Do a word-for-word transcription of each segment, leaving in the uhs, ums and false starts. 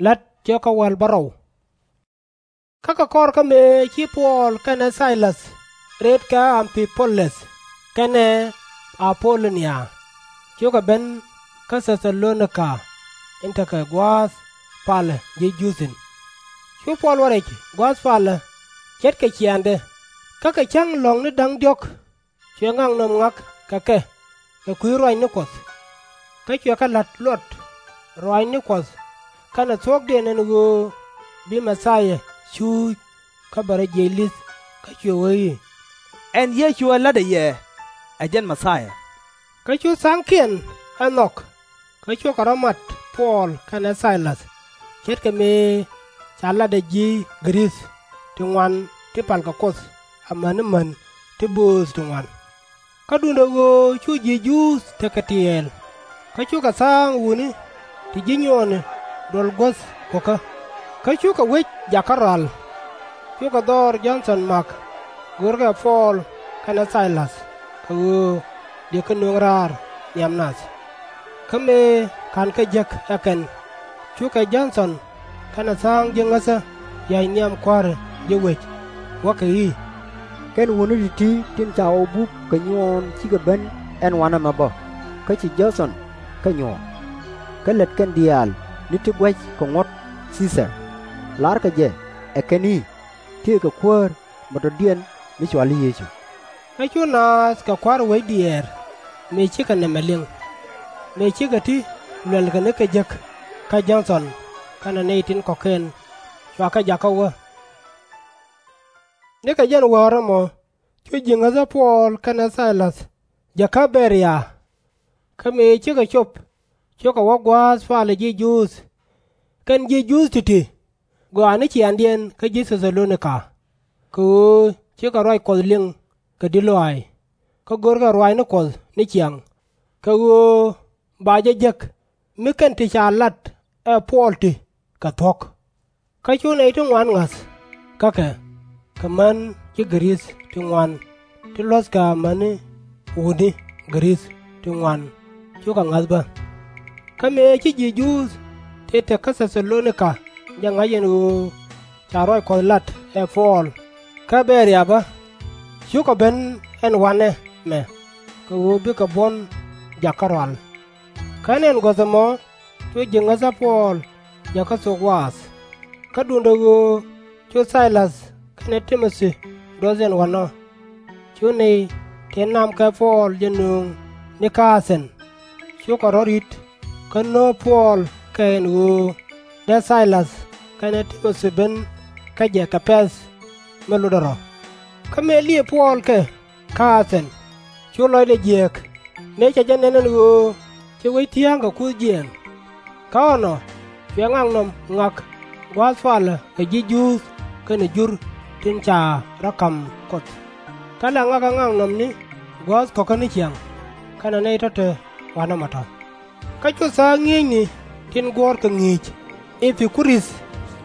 La̱t cio̱kä wäl bärɔw. Kä kɛ kɔr kä mëë ci Puɔl kɛnɛ Thay-läth reet kä Am-pi-pu-lɛth kɛnɛ A-po-lo-nia, cukɛ ben kä Thɛ-tha-lo-ni-ka in tekɛ gua̱a̱th palä ji̱ Juudh thi̱n. Cu Puɔl wä rɛc gua̱a̱th palä ce̱tkɛ ciaaŋdɛ, kä kɛ cäŋ lɔ̱ŋni da̱ŋ diɔ̱k cuɛ ŋaknɔm ŋa̱k kɛ kɛ kɛ kui̱ ruaacni Kuɔth. Kä cuɛ kɛ la̱t luɔt ruaacni Kuɔth kɛnɛ thuɔ̱kdiɛn ɛn ɣöö bi Mɛ-thia cuuc kä bɛ rɔ jiɛc li̱th, kä cuɛ wee i̱, Ɛn Yecu ɛ la̱tdä yɛ, ɛ jɛn Mɛ-thia. Kä cu tha̱a̱ŋkiɛn ɛ nhɔk, kä cukɛ rɔ̱ mat Puɔl kɛnɛ Thay-läth, ce̱tkɛ mëë ca latdɛ ji̱ Gɛ-rith ti ŋuan ti palkɛ Kuoth amäni män ti bööth ti ŋuan. Kä duundɛ ɣöö cu ji̱ Juudh tekɛ tiɛɛl, kä cukɛ tha̱a̱ŋ wutni ti ji̱ nyuɔɔni duɔl guäth ko̱kä, kä cukɛ wec jakä rual. Cukɛ dhɔr Jɔ̱ɔ̱n-thɔn Ma̱k, görkɛ ɛ Puɔl kɛnɛ Thay-läth kɛ ɣöö dëë kɛ nöŋ raar nhiam nath. Kä mëë /ka̱nkɛ jek ɛ kɛn, cukɛ Jɔ̱ɔ̱n-thɔn kɛnɛ tha̱a̱ŋ ji̱ ŋäthä ya̱c nhiam kua̱ri ji̱ wec, wäkɛ i̱, Kɛn wutni ti̱ti̱ tin ca ɣɔw buk kɛ nyuɔɔn cikɛ ben ɛn wanɛ mɛ bä, kä ci Jɔ̱ɔ̱n-thɔn kɛ nyuɔ̱ɔ̱n. Kä lät kɛn diaal ni ti guäc kɛ ŋuɔ̱t Thii-thar. La̱rkɛ jɛ ɛ kɛn i̱, Tëëkɛ Kuäär mɛ tɔ̱diɛn mi cɔal i̱ Yecu. Kä cu naath kɛ kua̱r wec diɛɛr mëë cikɛ nɛmɛ liŋ, mëë cikɛ ti luɛlkɛ nikɛ jek kä Jɔ̱ɔ̱n-thɔn kɛnɛ nɛy tin kɔ̱kiɛn cua kɛ jakä wä. Nikɛ jɛn wäär ɛmɔ cu ji̱ ŋäthä Puɔl kɛnɛ Thay-läth jäkä Bɛ-ria. Kä mëë cikɛ cop cukɛ wä gua̱a̱th palä ji̱ Juudh kɛnɛ ji̱ Juudh ti̱ti̱ gɔaa ni ciaaŋdiɛn kä ji̱ Thɛ-tha-lo-ni-ka, kɛ ɣöö cikɛ ruac Kuɔth liŋ kɛ di̱t lɔaac, kä görkɛ ruaacni Kuɔth ni ciaŋ, kɛ ɣöö ba jɛ jek mi kɛn ti ca lat ɛ Puɔl ti kɛ thuɔ̱k. Kä cu nɛy ti ŋuan ŋa̱th kä kɛ, kɛ män ji̱ Gɛ-rith ti ŋuan ti luɔ̱thkɛ amäni wutni Gɛ-rith ti ŋuan, cukɛ ŋa̱th bä. Kä mëë ci ji̱ Juudh ti te kä Thɛ-tha-lo-ni-ka jɛ ŋa̱c ɛn ɣöö ca ruac Kuɔth lat ɛ Puɔl kä Bɛ-ria bä, cukɛ ben ɛn wanɛ mɛ kɛ ɣöö bikɛ buɔ̱n jakä rual. Kä ni ɛn guäth ɛmɔ cu ji̱ ŋäthä Puɔl jäkä thok waath. Kä duundɛ ɣöö cu Thay-läth kɛnɛ Ti-mo-thi duɔth ɛn wanɔ, cu nɛy tin namkɛ Puɔl jɛ nöŋ ni kä A-thɛn, cukɛ rɔ̱ ri̱t kä no̱o̱p Puɔl kɛ ɛn ɣöö dee Thay-läth kɛnɛ Ti-mo-thi ben kä jɛ kɛ pɛ̈th mi lotdɛ rɔ̱. Kä mëë liëë Puɔl kɛ kä A-thɛn, cu lɔcdɛ jiääk mëë cɛ jɛ nɛn ɛn ɣöö ci wec thia̱a̱ŋ kɛ kuth jiɛɛŋ. Kä ɛnɔ cuɛ ŋaknɔm ŋak gua̱a̱th palä kɛ ji̱ Juudh kɛnɛ Jur tin ca rɔ̱ ka̱m Kuoth. Kä la ŋakɛ ŋaknɔmni gua̱a̱th kɔ̱kä ni ciaŋ kɛnɛ nɛy tɔ̱ te wanɛ mɔ tɔ̱. Kä cu tha̱a̱ŋ ŋi̱eecni tin guɔ̱ɔ̱r kɛ ŋi̱i̱c Ɛ-pi-ku-rith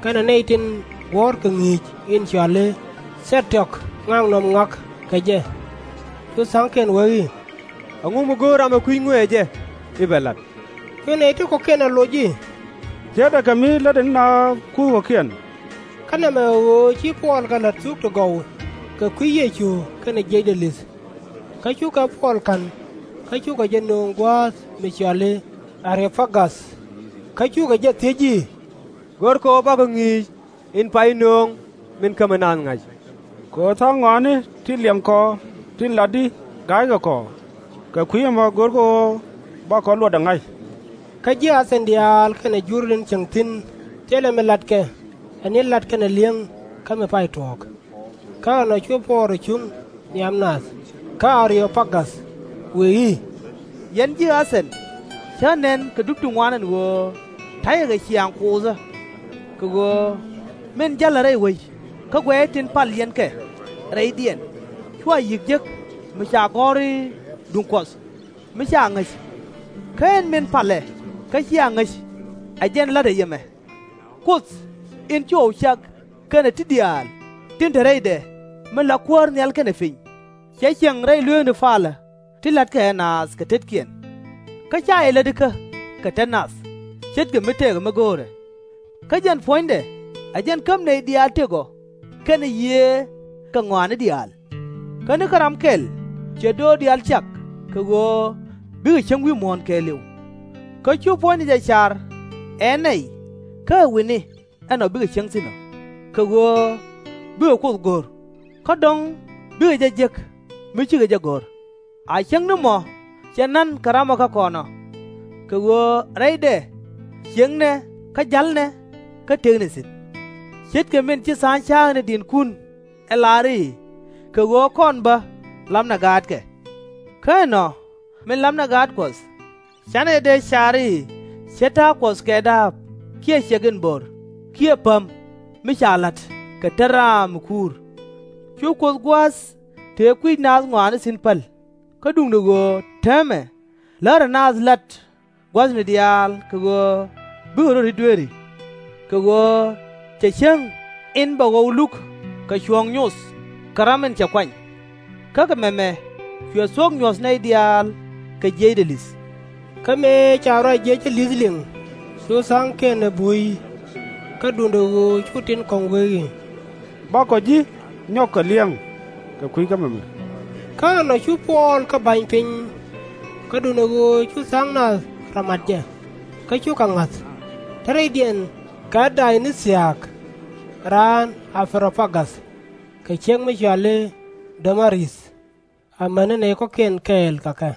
kɛnɛ nɛy tin guɔ̱ɔ̱r kɛ ŋi̱i̱c in cɔal i̱ Thɛt-tiɔk ŋaknɔm ŋak kɛ jɛ. Cu tha̱a̱ŋkiɛn wee i̱, Ɛŋu mi go̱o̱r ram ɛ kui̱c ŋuëë jɛ i̱ bɛ la̱t? Cu nɛy ti kɔ̱kiɛn ɛ loc i̱, Ce̱tdɛ kɛ mi lätdɛ ni naath kuth kɔ̱kiɛn. Kä nɛmɛ ɛ ɣöö ci Puɔl kɛ la̱t thuk ti gɔw kɛ kui̱ Yecu kɛnɛ jiɛcdɛ li̱th. Kä cukɛ Puɔl ka̱n kä cukɛ jɛ nööŋ gua̱a̱th mi cɔal i̱ Ä-ri-o̱ pa-gath. Kä cukɛ jɛ thiec i̱, Go̱rkɛ ɣöö bakɔ ŋi̱i̱c in pay nööŋ min kämi naath ŋa̱c? Kɛ ɣöö tha̱a̱ŋ ŋɔaani ti liɛŋkɔ tin lat i̱ ga̱ykɛ kɔ, kɛ kui̱ ɛmɔ go̱rkɛ ɣöö bakɔ luɔtdɛ ŋa̱c. Kä ji̱ A-thɛn diaal kɛnɛ Jur tin cieŋ thi̱n thilɛ mi latkɛ ɛ ni lat kɛnɛ li̱eŋ kä mi pay tuɔɔk. Kä ɛnɔ cu Puɔl rɔ cuŋ nhiam nath kä Ä-ri-o̱ pa-gath, wëë i̱, Yɛn ji̱ A-thɛn, cä nɛn kɛ dup ti ŋuan ɛn ɣöö ta̱yɛ kɛ ciaŋ Kuothä. Kɛ ɣöö min jälɛ rɛy wec kä guɛc tin pal yɛn kɛ rɛydiɛn, cua yi̱k jek mi ca gɔ̱r i̱ duŋ Kuɔth mi ca ŋäc. Kä ɛn min palɛ kä cia ŋäc, ɛ jɛn la̱tdɛ yɛ mɛ. Kuoth in ci ɣɔw cak kɛnɛ ti diaal tin te rɛydɛ min la Kuäär nhial kɛnɛ piny, cɛ cieŋ rɛy lueethni palä ti la̱tkɛ ɛ naath kɛ tetkiɛn. Kä /ca yɛ lätikä kɛ tet nath, ce̱tkɛ mi tëëkɛ mi go̱o̱rɛ. Kä jɛn puɔ̱nydɛ ɛ jɛn käm nɛy diaal tëk ɔ kɛnɛ Yiëë kɛ ŋɔaani diaal. Kä ni kä ram kɛl ciɛ döör diaal cak kɛ ɣöö bikɛ cieŋ wi̱i̱ muɔ̱ɔ̱n kɛɛliw. Kä cu puɔ̱nydɛ jɛ car ɛ nɛy, kä ɛ wi̱ni ɛn ɔ bikɛ cieŋ thi̱n ɔ, kɛ ɣöö bikɛ Kuoth go̱r, kä dɔ̱ŋ bikɛ jɛ jek mi cikɛ jɛ go̱r. A cieŋni mɔ cɛ na̱n kɛ ramɔ kä kɔn ɔ, kɛ ɣöö rɛydɛ ciëŋnɛ kä ja̱lnɛ kä tëknɛ thi̱n. Ce̱tkɛ min ci tha̱a̱ŋ cääŋ ni di̱i̱tkun ɛ lar i̱, Kɛ ɣöö kɔn bä lapnɛ gaatkɛ. Kä ɛnɔ min lapnɛ gaat Kuɔth, canɛ jɛ dee car i̱ ce̱t ta̱a̱ Kuɔth kɛ da̱a̱p kiɛ ciɛk in bo̱r kiɛ päm mi ca la̱t kɛ tet ram mi kuur. Cu Kuoth gua̱a̱th tëë kui̱c naath ŋɔaani thi̱n päl, kä duundɛ ɣöö täämɛ lärɛ naath la̱t gua̱thni diaal kɛ ɣöö bikɛ rɔ̱ ri̱t dueeri. Kɛ ɣöö cɛ cäŋ in bɛ ɣɔw luk kɛ cuɔ̱ɔ̱ŋ nyoth kɛ ram in cɛ kuany. Kä kɛ mɛmɛ cuɛ thuɔ̱k nyuɔ̱th nɛy diaal kɛ jiɛcdɛ li̱th. Kä mëë ca ruac jiɛcdɛ li̱th liŋ, cu tha̱a̱ŋkiɛn ɛ buɔ̱i i̱. Kä duundɛ ɣöö cu tin kɔ̱ŋ wee i̱, Bakɔ ji̱ nyɔk kɛ liɛŋ kɛ kui̱ kä mɛmɛ. Kä ɛnɔ cu Puɔl kä ba̱ny piny, kä duundɛ ɣöö cu tha̱a̱ŋ nath rɔ mat jɛ, kä cukɛ ŋa̱th. Te rɛydiɛn kɛ Day-ni-thiaak, raan A-rɛ-opa-gath, kɛ ciɛk mi cɔal i̱ Dä-ma-rith, amäni nɛy kɔ̱kiɛn kɛɛl kɛ kɛ.